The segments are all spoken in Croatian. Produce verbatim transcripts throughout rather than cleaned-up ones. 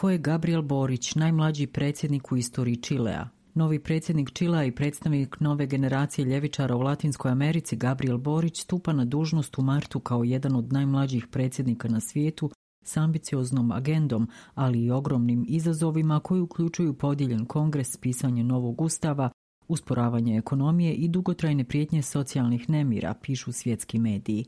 Ko je Gabriel Borić, najmlađi predsjednik u istoriji Čilea? Novi predsjednik Čilea i predstavnik nove generacije ljevičara u Latinskoj Americi, Gabriel Borić, stupa na dužnost u martu kao jedan od najmlađih predsjednika na svijetu s ambicioznom agendom, ali i ogromnim izazovima koji uključuju podijeljen kongres, pisanje novog ustava, usporavanje ekonomije i dugotrajne prijetnje socijalnih nemira, pišu svjetski mediji.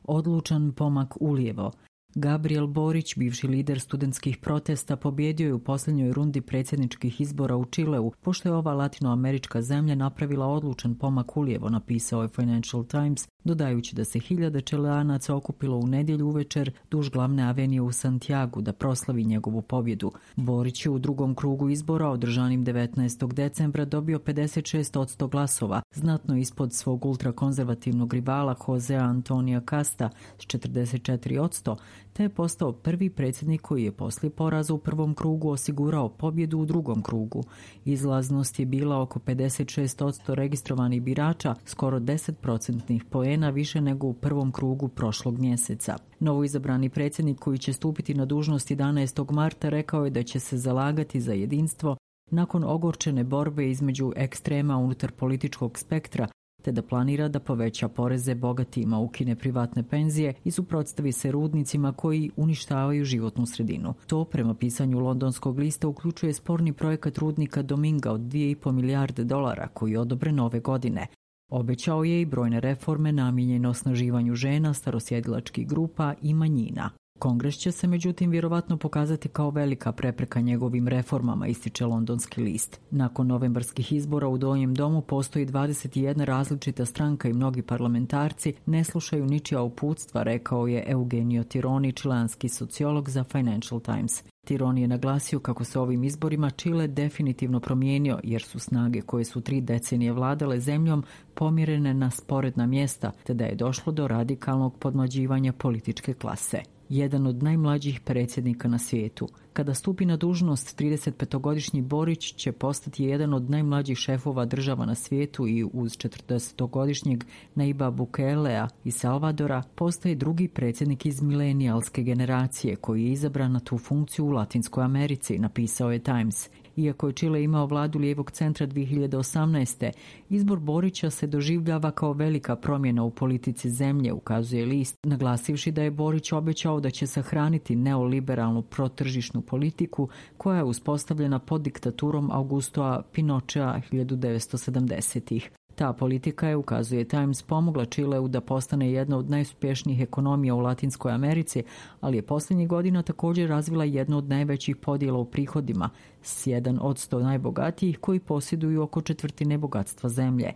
Odlučan pomak ulijevo. Gabriel Borić, bivši lider studentskih protesta, pobjedio je u posljednjoj rundi predsjedničkih izbora u Čileu, pošto je ova latinoamerička zemlja napravila odlučan pomak ulijevo, napisao je Financial Times, dodajući da se hiljade Čileanaca okupilo u nedjelju uvečer duž glavne avenije u Santiagu da proslavi njegovu pobjedu. Borić je u drugom krugu izbora, održanim devetnaestog decembra, dobio pedeset šest posto glasova, znatno ispod svog ultrakonzervativnog rivala Josea Antonija Casta s četrdeset četiri posto, te je postao prvi predsjednik koji je poslije poraza u prvom krugu osigurao pobjedu u drugom krugu. Izlaznost je bila oko pedeset šest posto registrovanih birača, skoro deset procentnih poena više nego u prvom krugu prošlog mjeseca. Novoizabrani predsjednik, koji će stupiti na dužnost jedanaestog marta, rekao je da će se zalagati za jedinstvo nakon ogorčene borbe između ekstrema unutar političkog spektra, te da planira da poveća poreze bogatima, ukine privatne penzije i suprotstavi se rudnicima koji uništavaju životnu sredinu. To, prema pisanju londonskog lista, uključuje sporni projekat rudnika Dominga od dvije i pol milijarde dolara koji je odobren ove godine. Obećao je i brojne reforme namijenjene osnaživanju žena, starosjedilačkih grupa i manjina. Kongres će se međutim vjerovatno pokazati kao velika prepreka njegovim reformama, ističe londonski list. Nakon novembarskih izbora u Donjem domu postoji dvadeset jedna različita stranka i mnogi parlamentarci ne slušaju ničija uputstva, rekao je Eugenio Tironi, čileanski sociolog za Financial Times. Tironi je naglasio kako se ovim izborima Čile definitivno promijenio, jer su snage koje su tri decenije vladale zemljom pomjerene na sporedna mjesta, te da je došlo do radikalnog podmlađivanja političke klase. Jedan od najmlađih predsjednika na svijetu. Kada stupi na dužnost, tridesetpetogodišnji Borić će postati jedan od najmlađih šefova država na svijetu i uz četrdesetogodišnjeg Nayib Bukelea iz Salvadora postaje drugi predsjednik iz milenijalske generacije koji je izabran na tu funkciju u Latinskoj Americi, napisao je Times. Iako je Čile imao vladu lijevog centra dvije hiljade osamnaeste. izbor Borića se doživljava kao velika promjena u politici zemlje, ukazuje list, naglasivši da je Borić obećao da će sahraniti neoliberalnu protržišnu politiku koja je uspostavljena pod diktaturom Augustoa Pinochea hiljadu devetsto sedamdesetih. Ta politika je, ukazuje Times, pomogla Čileu da postane jedna od najuspješnijih ekonomija u Latinskoj Americi, ali je posljednjih godina također razvila jednu od najvećih podjela u prihodima, s jedan od sto najbogatijih koji posjeduju oko četvrtine bogatstva zemlje.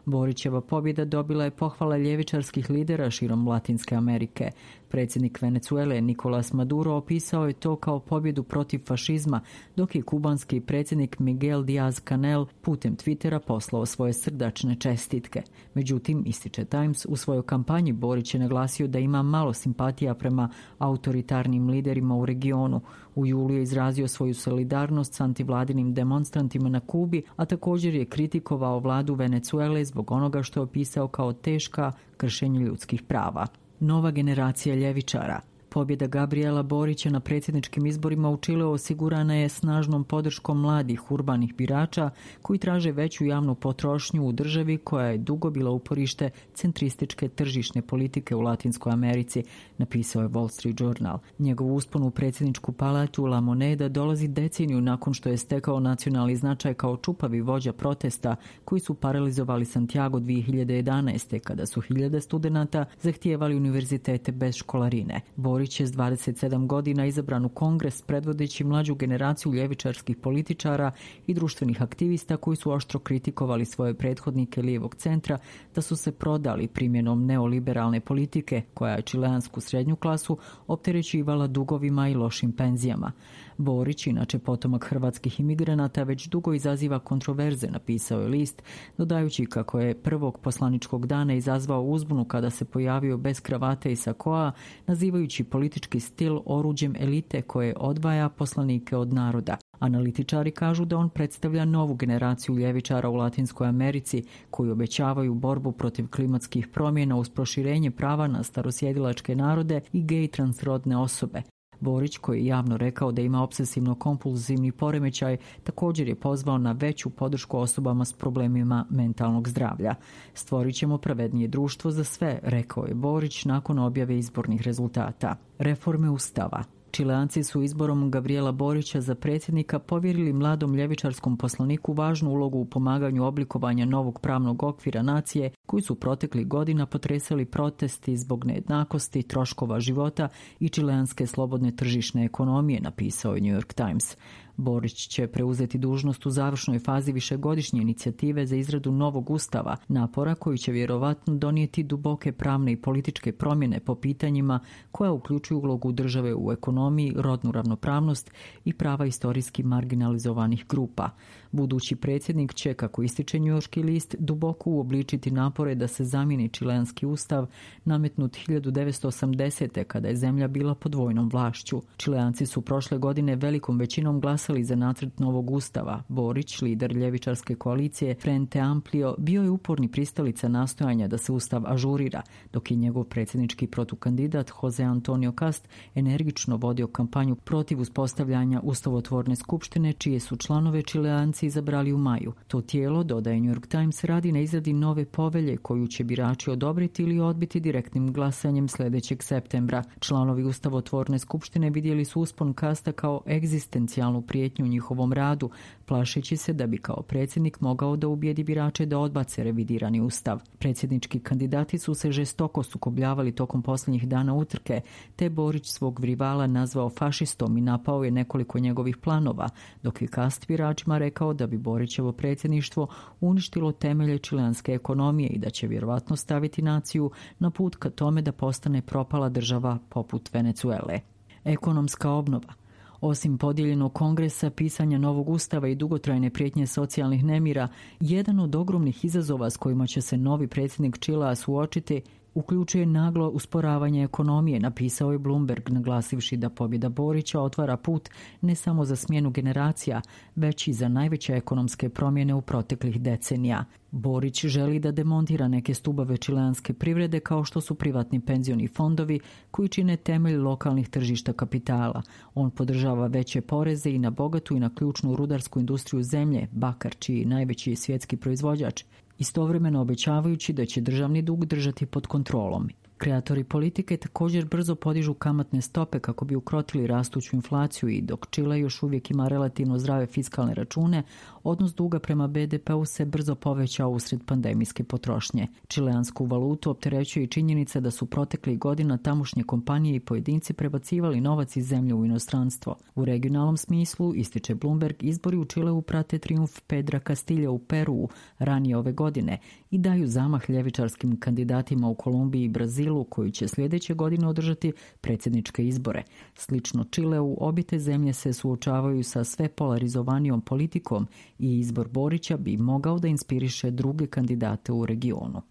Borićeva pobjeda dobila je pohvala ljevičarskih lidera širom Latinske Amerike. Predsjednik Venezuele Nicolas Maduro opisao je to kao pobjedu protiv fašizma, dok je kubanski predsjednik Miguel Díaz-Canel putem Twittera poslao svoje srdačne čestitke. Međutim, ističe Times, u svojoj kampanji Borić je naglasio da ima malo simpatija prema autoritarnim liderima u regionu. U julu je izrazio svoju solidarnost s antivladinim demonstrantima na Kubi, a također je kritikovao vladu Venezuele zbog onoga što je opisao kao teška kršenja ljudskih prava. Nova generacija ljevičara. Pobjeda Gabriela Borića na predsjedničkim izborima u Čileu osigurana je snažnom podrškom mladih urbanih birača koji traže veću javnu potrošnju u državi koja je dugo bila uporište centrističke tržišne politike u Latinskoj Americi, napisao je Wall Street Journal. Njegov uspon u predsjedničku palatu La Moneda dolazi deceniju nakon što je stekao nacionalni značaj kao čupavi vođa protesta koji su paralizovali Santiago dvije hiljade jedanaeste. kada su hiljade studenata zahtijevali univerzitete bez školarine. Borić je s dvadeset sedam godina izabran u Kongres predvodeći mlađu generaciju ljevičarskih političara i društvenih aktivista koji su oštro kritikovali svoje prethodnike lijevog centra da su se prodali primjenom neoliberalne politike koja je čileansku srednju klasu opterećivala dugovima i lošim penzijama. Borić, inače potomak hrvatskih imigranata, već dugo izaziva kontroverze, napisao je list, dodajući kako je prvog poslaničkog dana izazvao uzbunu kada se pojavio bez kravate i sakoa, nazivajući politički stil oruđem elite koje odvaja poslanike od naroda. Analitičari kažu da on predstavlja novu generaciju ljevičara u Latinskoj Americi koji obećavaju borbu protiv klimatskih promjena uz proširenje prava na starosjedilačke narode i gej transrodne osobe. Borić, koji je javno rekao da ima obsesivno-kompulzivni poremećaj, također je pozvao na veću podršku osobama s problemima mentalnog zdravlja. Stvorit ćemo pravednije društvo za sve, rekao je Borić nakon objave izbornih rezultata. Reforme Ustava. Čileanci su izborom Gabriela Borića za predsjednika povjerili mladom ljevičarskom poslaniku važnu ulogu u pomaganju oblikovanja novog pravnog okvira nacije koji su proteklih godina potresali protesti zbog nejednakosti, troškova života i čileanske slobodne tržišne ekonomije, napisao je New York Times. Borić će preuzeti dužnost u završnoj fazi višegodišnje inicijative za izradu novog ustava, napora koji će vjerovatno donijeti duboke pravne i političke promjene po pitanjima koja uključuju ulogu države u ekonomiji, rodnu ravnopravnost i prava istorijski marginalizovanih grupa. Budući predsjednik će, kako ističe njujorški list, duboko uobličiti napore da se zamijeni čileanski ustav nametnut hiljadu devetsto osamdesete. kada je zemlja bila pod vojnom vlašću. Čileanci su prošle godine velikom većinom glasali za nacrt novog ustava. Borić, lider ljevičarske koalicije Frente Amplio, bio je uporni pristalica nastojanja da se ustav ažurira, dok je njegov predsjednički protukandidat Jose Antonio Cast energično vodio kampanju protiv uspostavljanja ustavotvorne skupštine, čije su članove Čileanci izabrali u maju. To tijelo, dodaje New York Times, radi na izradi nove povelje koju će birači odobriti ili odbiti direktnim glasanjem sljedećeg septembra. Članovi ustavotvorne skupštine vidjeli su uspon Casta kao egzistencijalnu prijetnju u njihovom radu, plašeći se da bi kao predsjednik mogao da ubijedi birače da odbace revidirani ustav. Predsjednički kandidati su se žestoko sukobljavali tokom posljednjih dana utrke, te Borić svog rivala nazvao fašistom i napao je nekoliko njegovih planova, dok je Cast biračima rekao da bi Borićevo predsjedništvo uništilo temelje čileanske ekonomije i da će vjerovatno staviti naciju na put ka tome da postane propala država poput Venezuele. Ekonomska obnova. Osim podijeljenog kongresa, pisanja novog ustava i dugotrajne prijetnje socijalnih nemira, jedan od ogromnih izazova s kojima će se novi predsjednik Čilea suočiti uključuje naglo usporavanje ekonomije, napisao je Bloomberg, naglasivši da pobjeda Borića otvara put ne samo za smjenu generacija, već i za najveće ekonomske promjene u proteklih decenija. Borić želi da demontira neke stubove čileanske privrede kao što su privatni penzioni fondovi koji čine temelj lokalnih tržišta kapitala. On podržava veće poreze i na bogatu i na ključnu rudarsku industriju zemlje, bakar, čiji je najveći svjetski proizvođač, istovremeno obećavajući da će državni dug držati pod kontrolom. Kreatori politike također brzo podižu kamatne stope kako bi ukrotili rastuću inflaciju i dok Čile još uvijek ima relativno zdrave fiskalne račune, odnos duga prema be de peu se brzo povećao usred pandemijske potrošnje. Čileansku valutu opterećuje i činjenica da su proteklih godina tamošnje kompanije i pojedinci prebacivali novac iz zemlje u inostranstvo. U regionalnom smislu, ističe Bloomberg, izbori u Čileu prate trijumf Pedra Castilja u Peruu ranije ove godine i daju zamah ljevičarskim kandidatima u Kolumbiji i Brazilu koji će sljedeće godine održati predsjedničke izbore. Slično Čileu, obje te zemlje se suočavaju sa sve polarizovanijom politikom i izbor Borića bi mogao da inspiriše druge kandidate u regionu.